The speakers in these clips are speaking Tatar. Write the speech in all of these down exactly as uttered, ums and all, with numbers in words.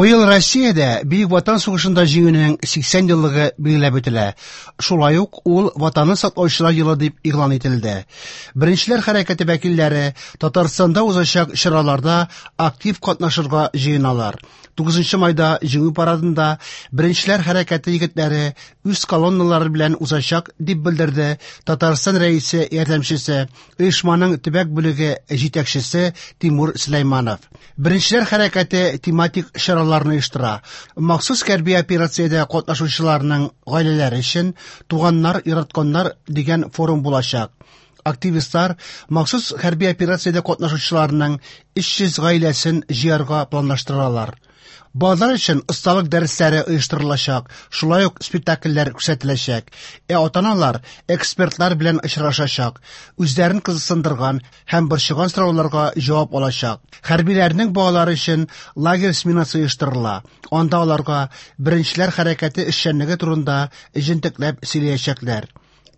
Быел Россиядә Бөек Ватан сугышында җиңүнең сиксән еллыгы билгеләп үтелә. Шулай ук ул Ватанны саклаучылар елы дип игълан ителде. Беренчеләр хәрәкәте вәкилләре Татарстанда узачак чараларда актив катнашырга җыеналар. тугызынчы майда Җиңү парадында Беренчеләр хәрәкәте егетләре үз колонналары белән узачак дип белдерде Татарстан Рәисе ярдәмчесе, оешманың төбәк бүлеге җитәкчесе Тимур Сөләйманов. Беренчеләр хәрәкәте тематик чараларны оештыра. Махсус хәрби операциядә катнашучыларның гаиләләре өчен «Туганнар, яратканнар» дигән форум булачак. Активистлар махсус хәрби операциядә катнашучыларның өч йөз гаиләсен җыярга планлаштыралар. Балалар өчен осталык дәресләре оештырылачак, шулай ук спектакльләр күрсәтеләчәк. Ә ата-аналар экспертлар белән очрашачак, үзләрен кызыксындырган һәм борчыган сорауларга җавап алачак. Хәрбиләрнең балалары өчен лагерь сменасы оештырыла. Анда аларга Беренчеләр хәрәкәте эшчәнлеге турында җентекләп сөйләячәкләр.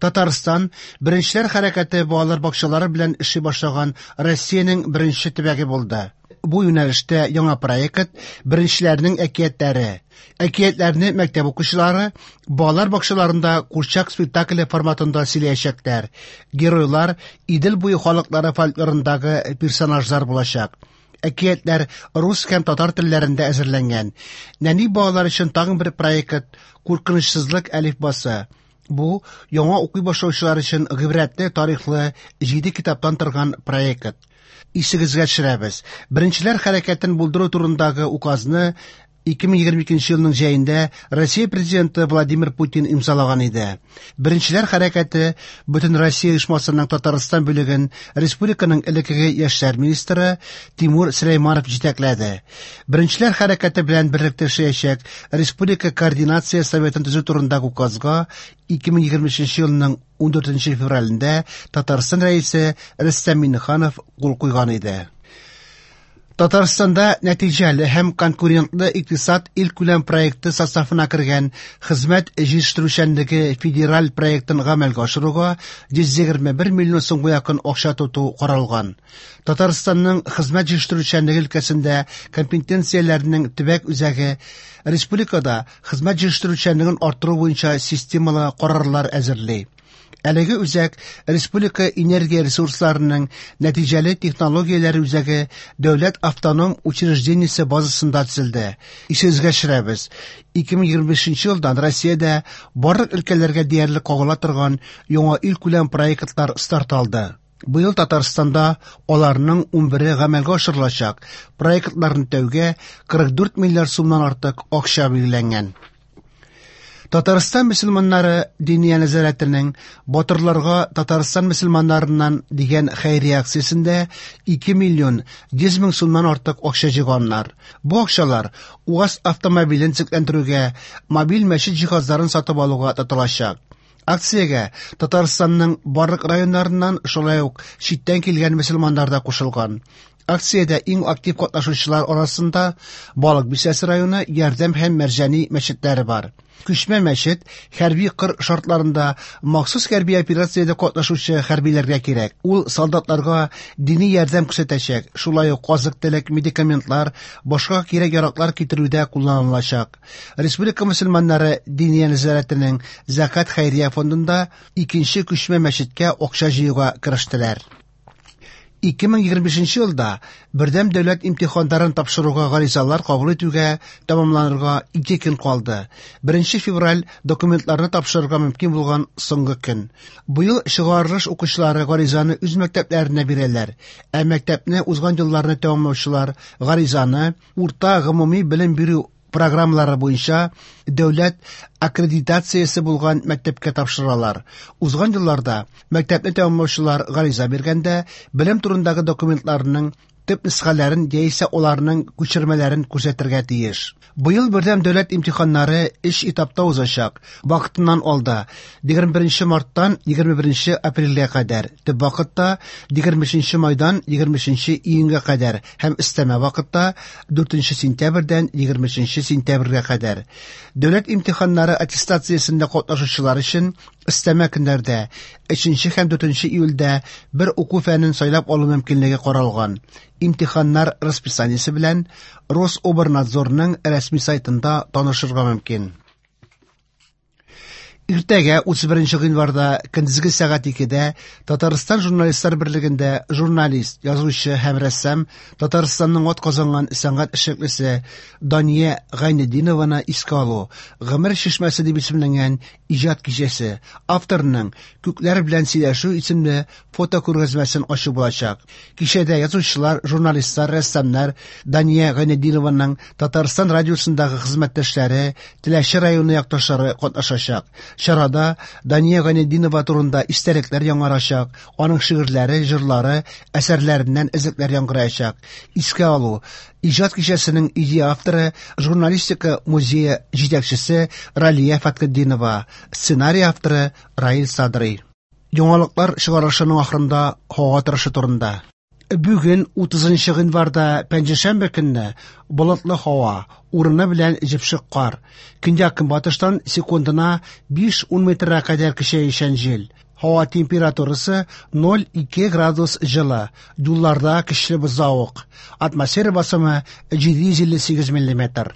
Татарстан Беренчеләр хәрәкәте балалар бакчалары белән эшли башлаган Россиянең беренче төбәге булды. Бу юнәлештә яңа проект Беренчеләрнең әкиятләре. Әкиятләрне мәктәп укучылары балалар бакчаларында курчак спектакле форматында сөйләячәкләр. Геройлар Идел буе халыклары фольклорындагы персонажлар булачак. Әкиятләр рус һәм татар телләрендә әзерләнгән. Нәни балалар өчен тагын бер проект Куркынычсызлык әлифбасы. Бу яңа укый башлаучылар өчен гыйбрәтле тарихлы җиде китаптан торган проект. Исегезгә төшерәбез. Беренчеләр хәрәкәтен булдыру турындагы указны ике мең егерме икенче елның җәендә Россия президенты Владимир Путин имзалаган иде. Беренчеләр хәрәкәте Бөтен Россия оешмасының Татарстан бүлеген республиканың элеккеге яшьләр министры Тимур Сөләйманов җитәкләде. Беренчеләр хәрәкәте белән берлектә эшләячәк Республика координация советын төзү турындагы указга ике мең егерме өченче елның ундүртенче февралендә Татарстан Рәисе Рөстәм Миңнеханов кул куйган иде. Татарстанда нәтиҗәле һәм конкурентлы икътисад илкүләм проекты составына кергән хезмәт җитештерүчәнлеге федераль проектын гамәлгә ашыруга йөз егерме бер миллион сумга якын акча тоту каралган. Татарстанның хезмәт җитештерүчәнлеге өлкәсендә компетенцияләрнең төбәк үзәге республикада хезмәт җитештерүчәнлеген арттыру буенча системалы карарлар әзерли. Әлеге үзәк Республика энергия ресурсларының нәтиҗәле технологияләре үзәге дәүләт автоном учреждениесе базасында төзелде. Исегезгә төшерәбез. ике мең егерме бишенче елдан Россиядә барлык өлкәләргә диярлек кагыла торган яңа илкүләм проектлар старт алды. Быел Татарстанда аларның унбере гамәлгә ашырылачак. Проектларны тәүгә кырык дүрт миллиард сумнан артык акча билгеләнгән. Татарстан мөселманнары Диния нәзарәтенең Батырларга Татарстан мөселманнарыннан дигән хәйрия акциясендә ике миллион йөз мең сумнан артык акча җыйганнар. Бу акчалар УАЗ автомобилен төзекләндерүгә, мобиль мәчет җиһазларын сатып алуга тотылачак. Акциягә Татарстанның барлык районнарыннан шулай ук читтән килгән мөселманнар да кушылган. Акциядә иң актив катнашучылар арасында Балык Бистәсе районы Ярдәм һәм Мәрҗани мәчетләре бар. Күчмә мәчет хәрби кыр шартларында махсус хәрби операциядә катнашучы хәрбиләргә кирәк. Ул солдатларга дини ярдәм күрсәтәчәк, шулай ук азык-төлек, медикаментлар, башка кирәк-яраклар китерүдә кулланылачак. Республика мөселманнары Диния нәзарәтенең Закат хәйрия фондында икенче күчмә мәчеткә акча җыюга керештеләр. Ике мең егерме бишенче елда бердәм дәүләт имтиханнарын тапшыруга гаризалар кабул итүгә тәмамланырга ике көн калды. Беренче февраль документларны тапшырырга мөмкин булган соңгы көн. Быел чыгарылыш укучылары гаризаны үз мәктәпләренә бирәләр. Ә мәктәпне узган елларны тәмамлаучылар гаризаны урта гомуми белем бирү программалары буенча дәүләт аккредитациясе булган мәктәпкә тапшыралар. Узган елларда мәктәпне тәмамлаучылар гариза биргәндә белем турындагы документларның төп нөсхәләрен яисә аларның күчермәләрен күрсәтергә тиеш. Быел бердәм дәүләт имтиханнары өч этапта узачак. Вакытыннан алда егерме беренче марттан егерме беренче апрельгә кадәр, төп вакытта егерме өченче майдан егерме өченче июньгә кадәр һәм өстәмә вакытта дүртенче сентябрьдән егерме өченче сентябрьгә кадәр. Дәүләт имтиханнары аттестациясендә катнашучылар өчен Өстәмә көннәрдә өченче һәм дүртенче июльдә бер уку фәнен сайлап алу мөмкинлеге каралган. Имтиханнар расписаниесе белән Рособрнадзорның рәсми сайтында танышырга мөмкин. Иртәгә утыз беренче гыйнварда көндезге сәгать икедә Татарстан журналистлар берлегендә журналист, язучы һәм рәссам, Татарстанның атказанган сәнгать эшлеклесе Дания Гайнетдинованы искә алу «Гомер чишмәсе» дип исемләнгән иҗат кичәсе, авторның «Күкләр белән сөйләшү» исемле фотокүргәзмәсен ачу булачак. Кичәдә язучылар, журналистлар, рәссамнар, Дания Гайнетдинованың Татарстан радиосындагы хезмәттәшләре, Теләче районы якташлары катнашачак. Чарада Дания Гайнетдинова турында истәлекләр яңарачак, аның шигырьләре, җырлары, әсәрләреннән өзекләр яңгыраячак. Искә алу иҗат кичәсенең идея авторы, журналистика музее җитәкчесе Ралия Фәтхетдинова, сценарий авторы Раил Садрый. Яңалыклар чыгарылышының ахырында һава торышы турында. Бүген утызынчы гыйнварда пәнҗешәмбе көнне болытлы һава, урыны белән җепшек кар. Көньяк-көнбатыштан секундына биш-ун метрга кадәр көчәючән җил. Һава температурасы ноль ике градус җылы, юлларда көчле бозлавык. Атмосфера басымы җиде йөз илле сигез миллиметр.